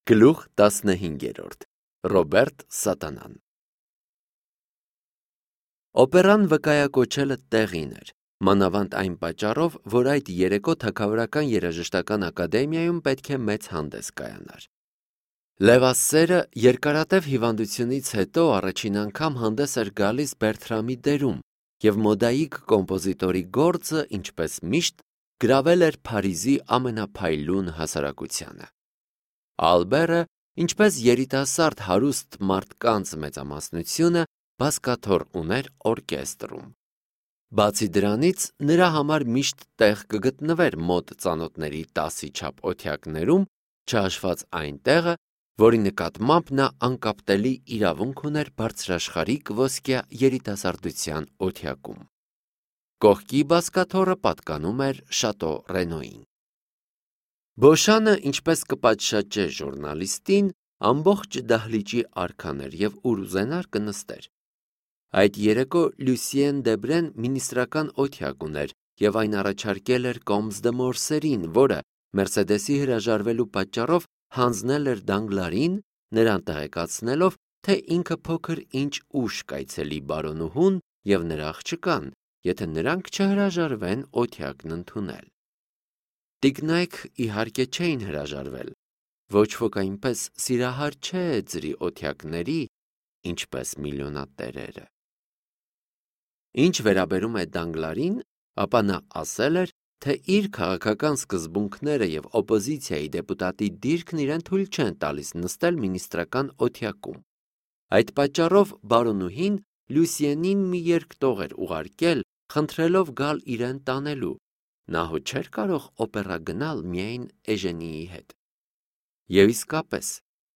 Գլուխ 15 Ռոբերտ Սատանան Օպերան վկայակոչելը տեղին էր, մանավանդ այն պատճառով, որ այդ երեկո Թագավորական երաժշտական ակադեմիայում պետք է մեծ հանդես կայանար։ Լևասերը երկարատև հիվանդությունից հետո առաջին անգամ հանդես էր գալիս Բերթրամի դերում, և մոդայիկ կոմպոզիտորի գործը, ինչպես միշտ, գրավել էր Փարիզի ամենափայլուն հասարակությանը։ Ալբերը, ինչպես երիտասարդ հարուստ մարդկանց մեծամասնությունը, բազկաթոռ ուներ օրկեստրում։ Բացի դրանից, նրա համար միշտ տեղ կգտնվեր մոտ ծանոթների 10-ի չափ օթյակներում, չհաշված այն տեղը, որի նկատմամբ նա անկապտելի իրավունք ուներ բարձրաշխարհիկ ոսկյա երիտասարդության օթյակում։ Կողքի բազկաթոռը պատկանում էր Շատո Ռենոյին։ Բոշանը, ինչպես կպատշաճե ժուրնալիստին, ամբողջ դահլիճի արքան էր և ուր ուզենար կնստեր։ Այդ երեկո Լյուսիեն Դեբրեն մինիստրական օթյակ ուներ և այն առաջարկել էր Կոմս դը Մորսերին, որը Մերսեդեսի հրաժարվելու պատճառով հանձնել էր Դանգլարին, նրան տեղեկացնելով, թե ինքը փոքր-ինչ ուշ կայցելի բարոնուհուն և նրա աղջկան, եթե նրանք չհրաժարվեն օթյակն ընդունել։ Տիկնայք իհարկե չէին հրաժարվել, ոչ ոք այնպես սիրահար չէ ձրի օթյակների, ինչպես միլիոնատերերը։ Ինչ վերաբերում է Դանգլարին, ապա նա ասել էր, թե իր քաղաքական սկզբունքները և օպոզիցիայի դեպուտատի դիրքն իրեն թույլ չեն տալիս նստել մինիստրական օթյակում։ Այդ պատճառով բարոնուհին Լյուսիենին մի երկտող էր ուղարկել, խնդրելով գալ իրեն տանելու, նա հո չէր կարող օպերա գնալ միայն Էժենիի հետ։ Եվ իսկապես,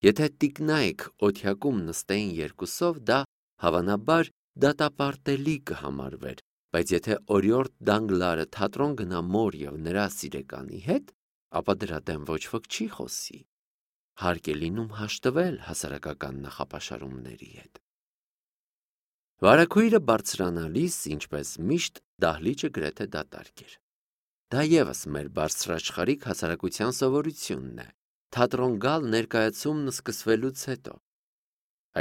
եթե տիկնայք օթյակում նստեին երկուսով, դա հավանաբար դատապարտելի կհամարվեր, բայց եթե օրիորդ Դանգլարը թատրոն գնա մոր և նրա սիրեկանի հետ, ապա դրա դեմ ոչ ոք չի խոսի։ Հարկ է լինում հաշտվել հասարակական նախապաշարումների հետ։ Վարագույրը բարձրանալիս, ինչպես միշտ, դահլիճը գրեթե դատարկ էր։ Դա ևս մեր բարձրաշխարհիկ հասարակության սովորությունն է, թատրոն գալ ներկայացումն սկսվելուց հետո։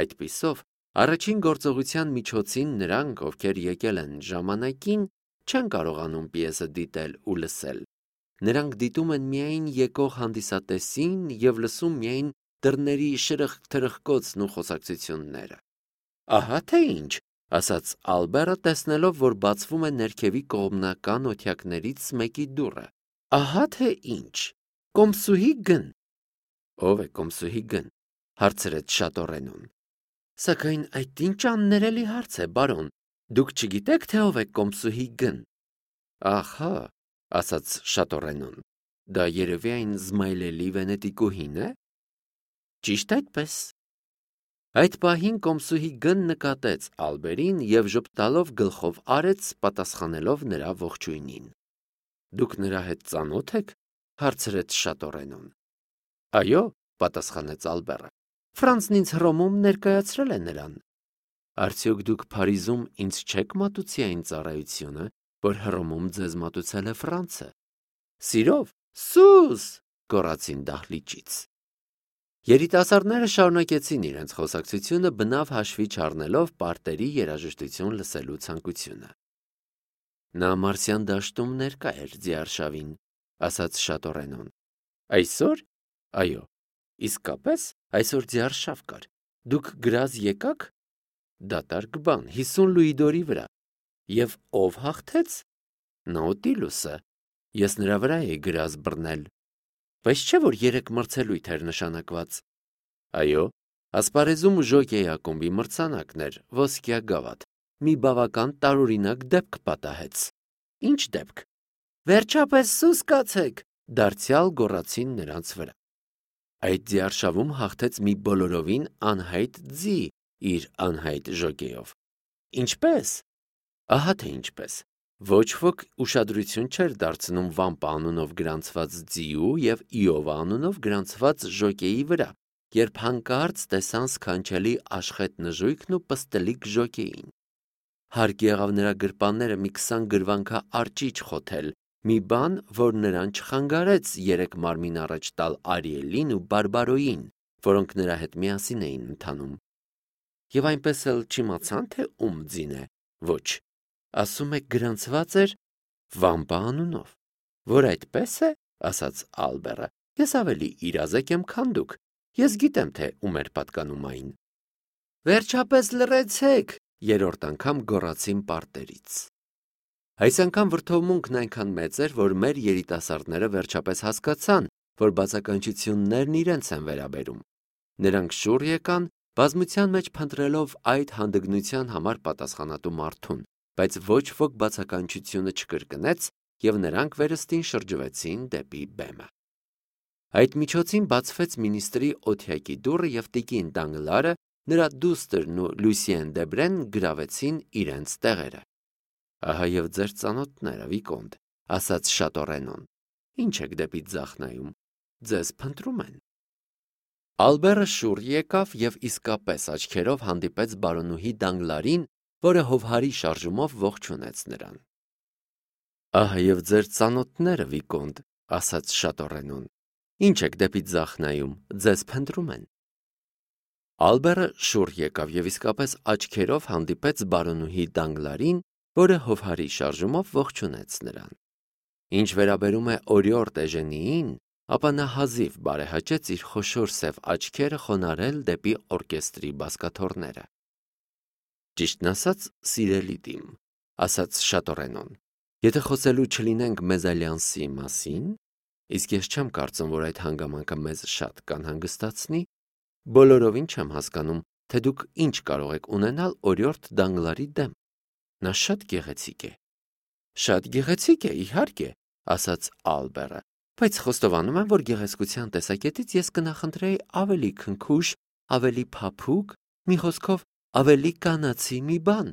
Այդպիսով, առաջին գործողության միջոցին նրանք, ովքեր եկել են ժամանակին, չեն կարողանում պիեսը դիտել ու լսել։ Նրանք դիտում են միայն եկող հանդիսատեսին և լսում միայն դռների շրխկ-թրխկոցն ու խոսակցությունները։ Ահա թե ինչ, ասաց Ալբերը, տեսնելով, որ բացվում է ներքևի կողմնական օթյակներից մեկի դուռը։ Ահա թե ինչ, կոմսուհի Գ-ն։ Ո՞վ է կոմսուհի Գ-ն, հարցրեց Շատո-Ռենոն։ Սակայն այդ ինչ աններելի հարց է, բարոն, դուք չգիտեք, թե ով է կոմսուհի Գ-ն։ Ահա, ասաց Շատո-Ռենոն, դա երևի այն զմայլելի վենետիկուհին է։ Ճիշտ այդպես։ Այդ պահին կոմսուհի Գ-ն նկատեց Ալբերին և ժպտալով գլխով արեց, պատասխանելով նրա ողջույնին։ Դուք նրա հետ ծանո՞թ եք, հարցրեց Շատո-Ռենոն։ Այո, պատասխանեց Ալբերը, Ֆրանցն ինձ Հռոմում ներկայացրել է նրան։ Արդյոք դուք Փարիզում ինձ չեք մատուցի այն ծառայությունը, որ Հռոմում ձեզ մատուցել է Ֆրանցը։ Սիրով, սուս, գոռացին դահլիճից։ Երիտասարդները շարունակեցին իրենց խոսակցությունը, բնավ հաշվի չառնելով պարտերի երաժշտություն լսելու ցանկությունը։ Նա Մարսյան դաշտում ներկա էր ձիարշավին, ասաց Շատո-Ռենոն։ Այսօր։ Այո, իսկապես այսօր ձիարշավ կար։ Դուք գրազ եկաք։ Դատարկ բան, 50 լուիդորի վրա։ Եվ ով հաղթեց։ Նաուտիլուսը։ Ես նրա վրա էի գրազ բռնել։ Բայց չէ՞ որ 3 մրցելույթ էր նշանակված։ Այո, ասպարեզում ժոկեյ ակումբի մրցանակն էր, ոսկյա գավաթ, մի բավական տարօրինակ դեպք պատահեց։ Ինչ դեպք։ Վերջապես սուս կացեք, դարձյալ գոռացին նրանց վրա։ Այդ ձիարշավում հաղթեց մի բոլորովին անհայտ ձի իր անհայտ ժոկեյով։ Ինչպե՞ս։ Ահա թե ինչպես։ Ոչ ոք ուշադրություն չէր դարձնում Վամպա անունով գրանցված ձիու և Իովա անունով գրանցված ժոկեյի վրա, երբ հանկարծ տեսան սքանչելի աշխետ նժույգն ու պստլիկ ժոկեյին։ Հարկ եղավ նրա գրպանները մի 20 գրվանքա արճիճ խոթել, մի բան, որ նրան չխանգարեց 3 մարմին առաջ տալ Արիելին ու Բարբարոյին, որոնք նրա հետ միասին էին ընթանում։ Եվ այնպես էլ չիմացան, թե ում ձին է։ Ոչ, ասում է գրանցված էր Վամպա անունով։ Որ այդպես է, ասաց Ալբերը, ես ավելի իրազեկ եմ, քան դուք։ Ես գիտեմ, թե ում էր պատկանում այն։ Վերջապես լռեցեք, երրորդ անգամ գոռացին պարտերից։ Այս անգամ վրդովմունքն այնքան մեծ էր, որ մեր երիտասարդները վերջապես հասկացան, որ բացականչություններն իրենց են վերաբերում։ Նրանք շուռ եկան, բազմության մեջ փնտրելով այդ հանդգնության համար պատասխանատու մարդուն, բայց ոչ ոք բացականչությունը չկրկնեց, եւ նրանք վերստին շրջվեցին դեպի բեմը։ Այդ միջոցին բացվեց մինիստրի օթյակի դուռը եւ տիկին Դանգլարը, նրա դուստրն ու Լուսիեն Դեբրեն գրավեցին իրենց տեղերը։ Ահա եւ ձեր ծանոթները, Վիկոնտ, ասաց Շատորենոն։ Ինչ եք դեպի ձախ նայում, ձեզ փնտրում են։ Ալբերը շուռ եկավ եւ իսկապես աչքերով հանդիպեց բարոնուհի Դանգլարին, որը հովհարի շարժումով ողջունեց նրան։ Ահա եւ ձեր ծանոթները, Վիկոնտ, ասաց Շատորենոն։ Ինչ եք դեպի ձախ նայում, ձեզ փնտրում են։ Ալբերը շուռ եկավ եւ իսկապես աչքերով հանդիպեց բարոնուհի Դանգլարին, որը հովհարի շարժումով ողջունեց նրան։ Ինչ վերաբերում է օրիորդ Էժենիին, ապա նա հազիվ բարեհաճեց իր խոշոր սև աչքերը խոնարհել դեպի օրկեստրի բազկաթոռները։ Ճիշտն ասած, սիրելի Տիմ, ասաց Շատորենոն, եթե խոսելու չլինենք մեզալյանսի մասին, իսկ ես չեմ կարծում, որ այդ հանգամանքը մեզ շատ կանհանգստացնի, բոլորովին չեմ հասկանում, թե դուք ինչ կարող եք ունենալ օրիորդ Դանգլարի դեմ։ Նա շատ գեղեցիկ է։ Շատ գեղեցիկ է, իհարկե, ասաց Ալբերը, բայց խոստովանում եմ, որ գեղեցկության տեսակետից ես կնախընտրեի ավելի քնքուշ, ավելի փափուկ, մի խոսքով ավելի կանացի մի բան։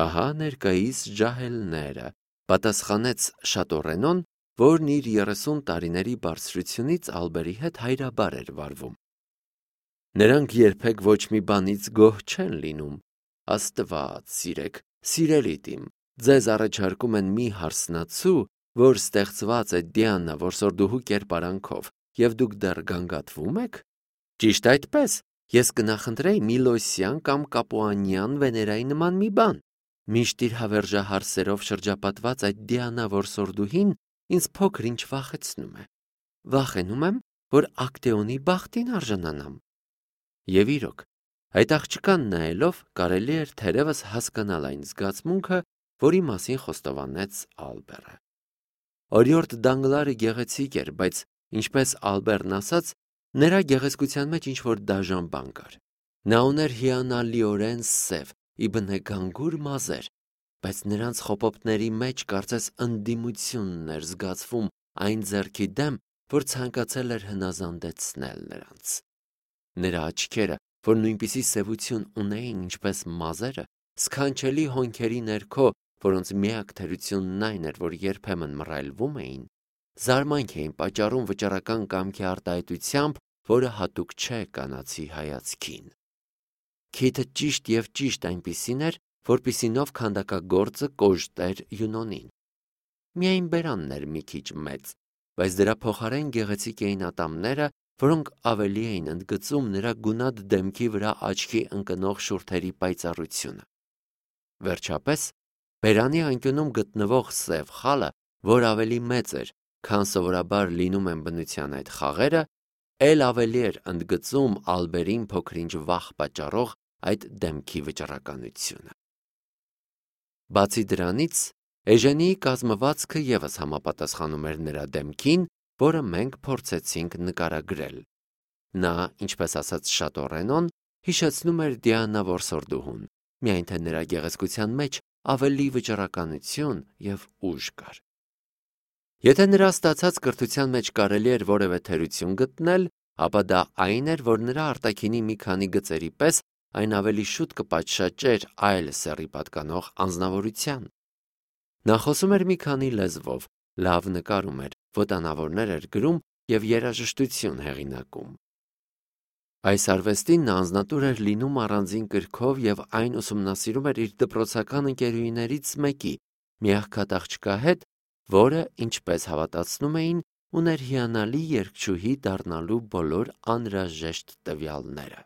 Ահա ներկայիս ջահելները, պատասխանեց Շատորենոն, որն իր 30 տարիների բարձրությունից Ալբերի հետ հայրաբար էր վարվում։ Նրանք երբեք ոչ մի բանից գոհ չեն լինում։ Աստված սիրեք, սիրելի Տիմ, ձեզ առաջարկում են մի հարսնացու, որ ստեղծված է Դիանա որսորդուհու կերպարանքով, եւ դուք դեռ գանգատվում եք։ Ճիշտ այդպես, ես կնախընտրեի Միլոսյան կամ Կապուանյան Վեներայի նման մի բան։ Միշտ իր հավերժահարսերով շրջապատված այդ Դիանա որսորդուհին ինձ փոքր-ինչ վախեցնում է։ Վախենում եմ, որ Ակտեոնի բախտին արժանանամ։ Եվ իրոք, այդ աղջկան նայելով կարելի էր թերևս հասկանալ այն զգացմունքը, որի մասին խոստովանեց Ալբերը։ Օրիորդ Դանգլարը գեղեցիկ էր, բայց ինչպես Ալբերն ասաց, նրա գեղեցկության մեջ ինչ-որ դաժան բան կար։ Նա ուներ հիանալիորեն սև, իբնեգանգուր մազեր, բայց նրանց խոպոպների մեջ կարծես ընդդիմությունն էր զգացվում այն ձեռքի դեմ, որ ցանկացել էր հնազանդեցնել նրանց։ Նրա աչքերը, որ նույնպիսի սևություն ունեին, ինչպես մազերը, սքանչելի հոնքերի ներքո, որոնց միակ թերությունն այն էր, որ երբեմն մռայլվում էին, զարմանք էին պատճառում վճռական կամքի արտահայտությամբ, որը հատուկ չէ կանացի հայացքին։ Քիթը ճիշտ եւ ճիշտ այնպիսին էր, որպիսինով քանդակագործը կոժտեր Յունոնին։ Միայն բերանն էր մի քիչ մեծ, բայց դրա փոխարեն գեղեցիկ էին ատամները, որոնք ավելի էին ընդգծում նրա գունատ դեմքի վրա աչքի ընկնող շուրթերի պայծառությունը։ Վերջապես, բերանի անկյունում գտնվող սև խալը, որ ավելի մեծ էր, քան սովորաբար լինում են բնության այդ խաղերը, էլ ավելի էր ընդգծում Ալբերին փոքր-ինչ վախ պատճառող այդ դեմքի վճռականությունը։ Բացի դրանից, Էժենիի կազմվածքը ևս համապատասխանում էր նրա դեմքին, որը մենք փորձեցինք նկարագրել։ Նա, ինչպես ասաց Շատորենոն, հիշեցնում էր Դիանա որսորդուհուն, միայն թե նրա գեղեցկության մեջ ավելի վճռականություն եւ ուժ կար։ Եթե նրա ստացած կրթության մեջ կարելի էր որևէ թերություն գտնել, ապա դա այն էր, որ նրա արտաքինի մի քանի գծերի պես այն ավելի շուտ կպատշաճեր այլ սեռի պատկանող անձնավորության։ Նա խոսում էր մի քանի լեզվով, լավ նկարում էր, ոտանավորներ էր գրում եւ երաժշտություն հեղինակում։ Այս արվեստին նա անձնատուր էր լինում առանձին կրքով եւ այն ուսումնասիրում էր իր դպրոցական ընկերուհիներից մեկի՝ մի աղքատ աղջկա հետ, որը, ինչպես հավատացնում էին, ուներ հիանալի երգչուհի դառնալու բոլոր անհրաժեշտ տվյալները։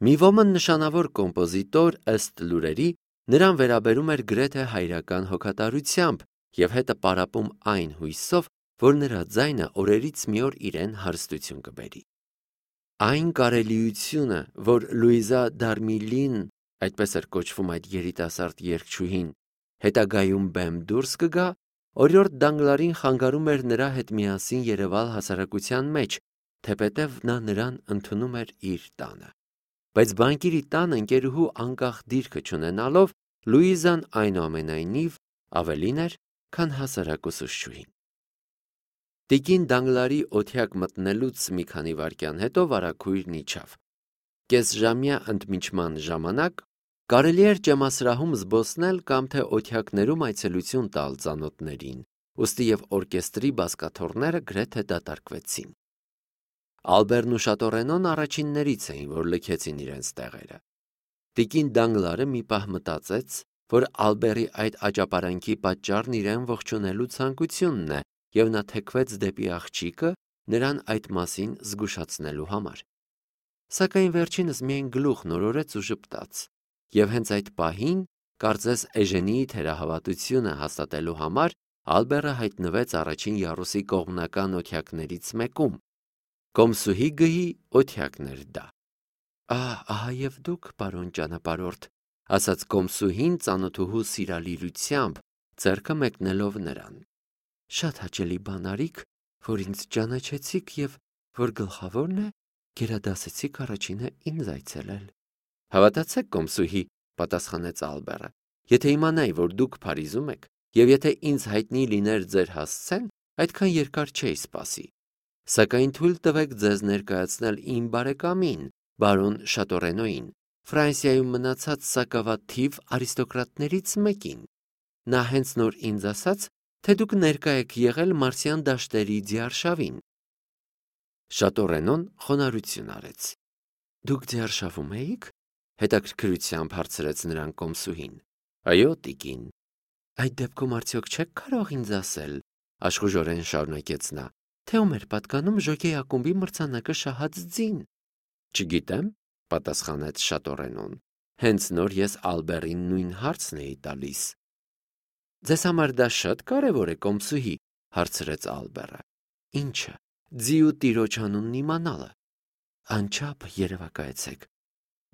Մի ոմն նշանավոր կոմպոզիտոր ըստ լուրերի նրան վերաբերում էր գրեթե հայրական հոգատարությամբ և հետը պարապում այն հույսով, որ նրա ձայնը օրերից մի օր իրեն հարստություն կբերի։ Այն կարելիությունը, որ Լուիզա Դարմիլին, այդպես էր կոչվում այդ երիտասարդ երգչուհին, հետագայում բեմ դուրս կգա, օրիորդ Դանգլարին խանգարում էր նրա հետ միասին երևալ հասարակության մեջ, թեպետև նա նրան ընդունում էր իր տանը։ Բայց բանկիրի տան ընկերուհու անկախ դիրքը չունենալով, Լուիզան այնուամենայնիվ ավելին էր, քան հասարակ ուսուցչուհին։ Տիկին Դանգլարի օթյակ մտնելուց մի քանի վայրկյան հետո վարագույրն իջավ։ Կեսժամյա ընդմիջման ժամանակ կարելի էր ճեմասրահում զբոսնել կամ թե օթյակներում այցելություն տալ ծանոթներին, ուստի և օրկեստրի բազկաթոռները գրեթե դատարկվեցին։ Ալբերն ու Շատորենոն առաջիններից էին, որ լքեցին իրենց տեղերը։ Տիկին Դանգլարը մի պահ մտածեց, որ Ալբերի այդ աճապարանքի պատճառն իրեն ողջունելու ցանկությունն է, և նա թեքվեց դեպի աղջիկը նրան այդ մասին զգուշացնելու համար։ Սակայն վերջինս միայն գլուխ նորորեց ու ժպտաց, և հենց այդ պահին, կարծես Էժենիի թերահավատությունը հաստատելու համար, Ալբերը հայտնվեց առաջին յարուսի կողմնական օթյակներից մեկում։ Կոմսուհի գահի օթյակն էր դա։ Ահա և դուք, պարոն ճանապարհորդ, ասաց կոմսուհին ծանոթուհու սիրալիրությամբ, ձեռքը մեկնելով նրան։ Շատ հաճելի բան արիք, որ ինձ ճանաչեցիք և, որ գլխավորն է, գերադասեցիք առաջինը ինձ այցելել։ Հավատացեք, կոմսուհի, պատասխանեց Ալբերը, եթե իմանայի, որ դուք Փարիզում եք, և եթե ինձ հայտնի լիներ ձեր հասցեն, այդքան երկար չէի սպասի։ Սակայն թույլ տվեք ձեզ ներկայացնել իմ բարեկամին, բարոն Շատորենոին, Ֆրանսիայում մնացած սակավաթիվ արիստոկրատներից մեկին։ Նա հենց նոր ինձ ասաց, թե դուք ներկա եք եղել Մարսյան դաշտերի ձիարշավին։ Շատորենոն խոնարհություն արեց։ Դուք ձիարշավում էիք, հետաքրքրությամբ հարցրեց նրան կոմսուհին։ Այո, տիկին։ Այդ դեպքում արդյոք չեք կարող ինձ ասել, աշխուժորեն շարունակեց նա, թե ում էր պատկանում ժոկեյ ակումբի մրցանակը շահած ձին։ Չգիտեմ, պատասխանեց Շատորենոն։ Հենց նոր ես Ալբերին նույն հարցն էի տալիս։ Ձեզ համար դա շատ կարևոր է, կոմսուհի, հարցրեց Ալբերը։ Ինչը, ձիու տիրոջ անունն իմանալը։ Անչափ երևակայեցեք,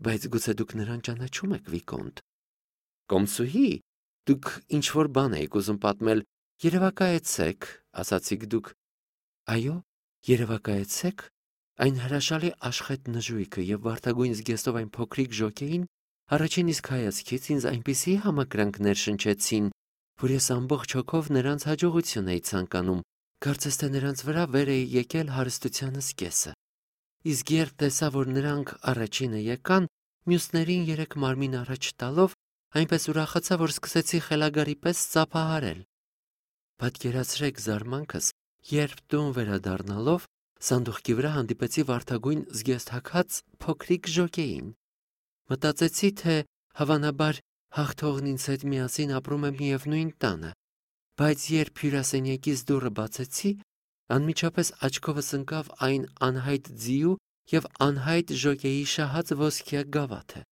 բայց գուցե դուք նրան ճանաչում եք, վիկոնտ։ Կոմսուհի, դուք ինչ-որ բան եք ուզում պատմել, երևակայեցեք, ասացիք դուք։ Այո, երևակայեցեք, այն հրաշալի աշխետ նժույգը և վարդագույն զգեստով այն փոքրիկ ժոկեին առաջին իսկ հայացքից ինձ այնպիսի համակրանքներ շնչեցին, որ ես ամբողջ հոգով նրանց հաջողություն էի ցանկանում, կարծես թե նրանց վրա վեր էի եկել հարստությանս կեսը։ Իսկ երբ տեսա, որ նրանք առաջինը եկան, մյուսներին երեք մարմին առաջ տալով, այնպես ուրախացա, որ սկսեցի խելագարի պես ծափահարել։ Պատկերացրեք զարմանքս, երբ տուն վերադառնալով սանդուղքի վրա հանդիպեցի վարդագույն զգեստ հագած փոքրիկ ժոկեին։ Մտածեցի, թե հավանաբար հաղթողն ինձ հետ միասին ապրում է միևնույն տանը, բայց երբ հյուրասենյակից դուռը բացեցի, անմիջապես աչքովս ընկավ այն անհայտ ձիու և անհայտ ժոկեի շահած ոսկյա գավաթը։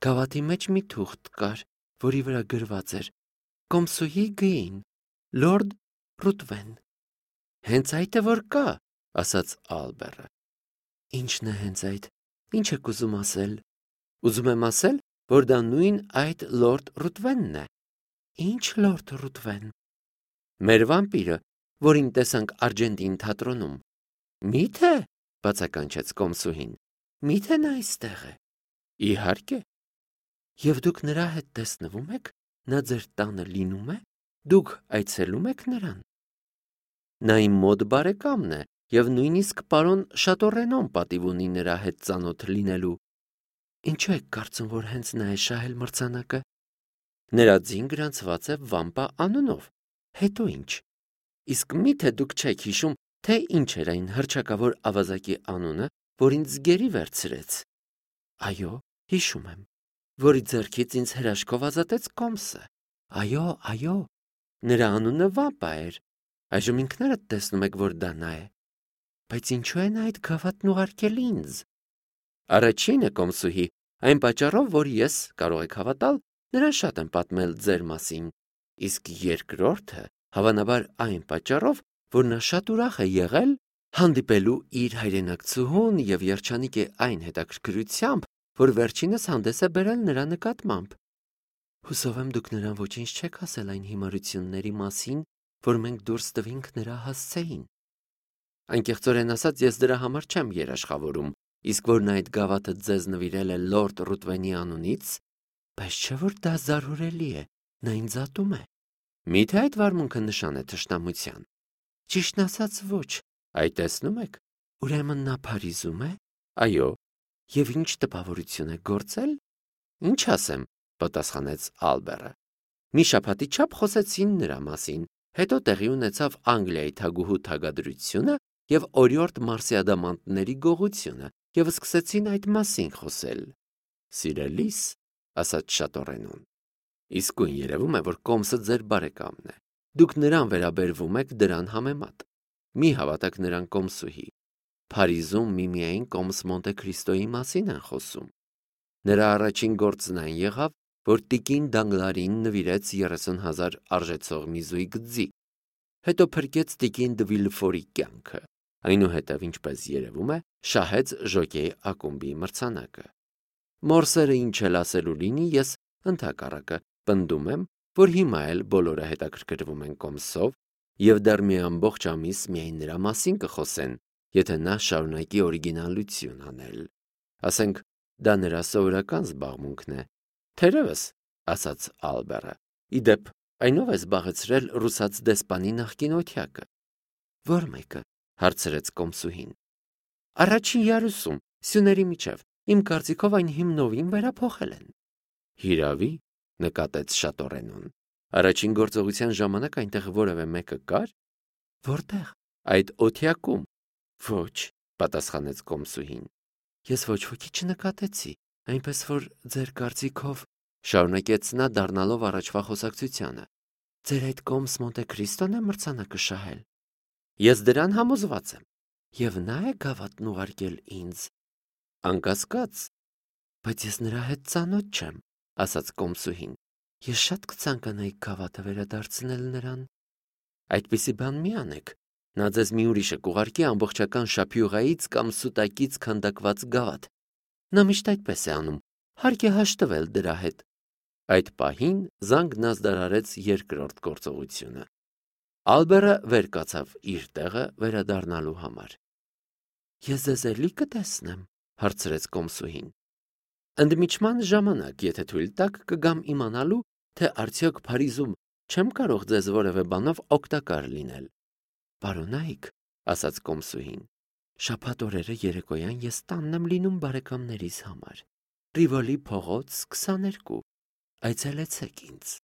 Գավաթի մեջ մի թուղթ կար, որի վրա գրված էր. Կոմսուհի գին, լորդ Ռուտվեն։ Հենց այդ է որ կա, ասաց Ալբերը։ Ինչն է հենց այդ, ինչ եք ուզում ասել։ Ուզում եմ ասել, որ դա նույն այդ լորդ Ռուտվենն է։ Ինչ լորդ Ռուտվեն։ Մեր վամպիրը, որին տեսանք Արգենտին թատրոնում։ Մի՞թե, բացականչեց կոմսուհին։ Մի՞թե նա այստեղ է։ Իհարկե։ Եվ դուք նրա հետ տեսնվում եք, նա ձեր տանը լինում է, դուք այցելում եք նրան։ Նա իմ մոտ բարեկամն է, և նույնիսկ պարոն Շատորենոն պատիվ ունի նրա հետ ծանոթ լինելու։ Ինչու եք կարծում, որ հենց նա է շահել մրցանակը։ Նրա ձին գրանցված է Վամպա անունով։ Հետո ինչ։ Իսկ մի՞թե դուք չեք հիշում, թե ինչ էր այն հռչակավոր ավազակի անունը, որ ինձ գերի վերցրեց։ Այո, հիշում եմ, որի ձեռքից ինձ հրաշքով ազատեց կոմսը։ Այո, նրա անունը Վամպա էր։ Այժմ ինքներդ տեսնում եք, որ դա նա է։ Բայց ինչու է նա այդ գավաթն ուղարկել ինձ։ Առաջինը կոմսուհի, այն պատճառով, որ ես, կարող եք հավատալ, նրան շատ եմ պատմել ձեր մասին, իսկ երկրորդը, հավանաբար այն պատճառով, որ նա շատ ուրախ է եղել հանդիպելու իր հայրենակցուհուն և երջանիկ է այն հետաքրքրությամբ, որ վերջինս հանդես է բերել նրա նկատմամբ։ Հուսով եմ դուք նրան ոչինչ չեք ասել այն հիմարությունների մասին, որ մենք դուրս տվինք նրա հասցեին։ Անկեղծորեն ասած, ես դրա համար չեմ երաշխավորում, իսկ որ նա այդ գավաթը ձեզ նվիրել է լորդ Ռուտվենի անունից, բայց չէ որ դա զարհուրելի է, նա ինձ ատում է։ Միթե այդ վարմունքը նշան է թշնամության։ Ճիշտն ասած ոչ, այ տեսնում եք, ուրեմն նա Փարիզում է։ Այո, եւ ինչ տպավորություն է գործել։ Ինչ ասեմ, պատասխանեց Ալբերը։ Մի շաբաթի չափ խոսեցին նրա մասին, հետո տեղի ունեցավ Անգլիայի թագուհու թագադրությունը եւ օրիորդ մարսիադամանտների գողությունը, եւ սկսեցին այդ մասին խոսել։ Սիրելիս, ասաց Շատորենուն, իսկույն երևում է, որ կոմսը ձեր բարեկամն է։ Դուք նրան վերաբերվում եք դրան համեմատ։ Մի հավատաք նրան կոմսուհի։ Փարիզում միմիայն կոմս Մոնտե Քրիստոյի մասին են խոսում։ Նրա առաջին գործն այն եղավ, որ տիկին Դանգլարին նվիրեց 30,000 արժեցող մի զույգ ձի, հետո փրկեց տիկին դը Վիլֆորի կյանքը, այնուհետև, ինչպես երևում է, շահեց ժոկեի ակումբի մրցանակը։ Մորսերը ինչ էլ ասելու լինի, ես ընդհակառակը պնդում եմ, որ հիմա էլ բոլորը հետաքրքրվում են կոմսով և դեռ մի ամբողջ ամիս միայն նրա մասին կխոսեն, եթե նա շարունակի օրիգինալություն անել։ Ասենք, դա նրա սովորական զբաղմունքն է։ Թերևս, ասաց Ալբերը, իդեպ, այնով է զբաղեցրել ռուսաց դեսպանի նախկին օթյակը։ Որ մեկը, հարցրեց կոմսուհին։ Առաջին յարուսում, սյուների միջև, իմ կարծիքով այն հիմնովին վերափոխել են։ Հիրավի, նկատեց Շատորենուն։ Առաջին գործողության ժամանակ այնտեղ որևէ մեկը կար։ Որտեղ։ Այդ օթյակում։ Ոչ, պատասխանեց կոմսուհին։ Ես ոչ ոքի չնկատեցի, այնպես որ ձեր կարծիքով, շարունակեց նա դառնալով առաջվա խոսակցությանը, ձեր այդ կոմս Մոնտե Քրիստոն է մրցանակը շահել։ Ես դրան համոզված եմ։ Եվ նա է գավաթն ուղարկել ինձ։ Անկասկած, բայց ես նրա հետ ծանոթ չեմ, ասաց կոմսուհին։ Ես շատ կցանկանայի գավաթը վերադարձնել նրան։ Այդպիսի բան մի անեք։ Նա ձեզ մի ուրիշը կուղարկի ամբողջական շափյուղայից կամ սուտակից քանդակված գավաթ։ Նա միշտ այդպես է անում, հարկ է հաշտվել դրա հետ։ Այդ պահին զանգն ազդարարեց երկրորդ գործողությունը։ Ալբերը վեր կացավ իր տեղը վերադառնալու համար։ Ես ձեզ էլի կտեսնեմ, հարցրեց կոմսուհին։ Ընդմիջման ժամանակ, եթե թույլ տաք, կգամ իմանալու, թե արդյոք Փարիզում չեմ կարող ձեզ որևէ բանով օգտակար լինել։ Պարոնայք, ասաց կոմսուհին, շաբաթ օրերը երեկոյան ես տանն եմ լինում բարեկամներիս համար։ Ռիվոլի փողոց 22։ Այցելեցեք ինձ։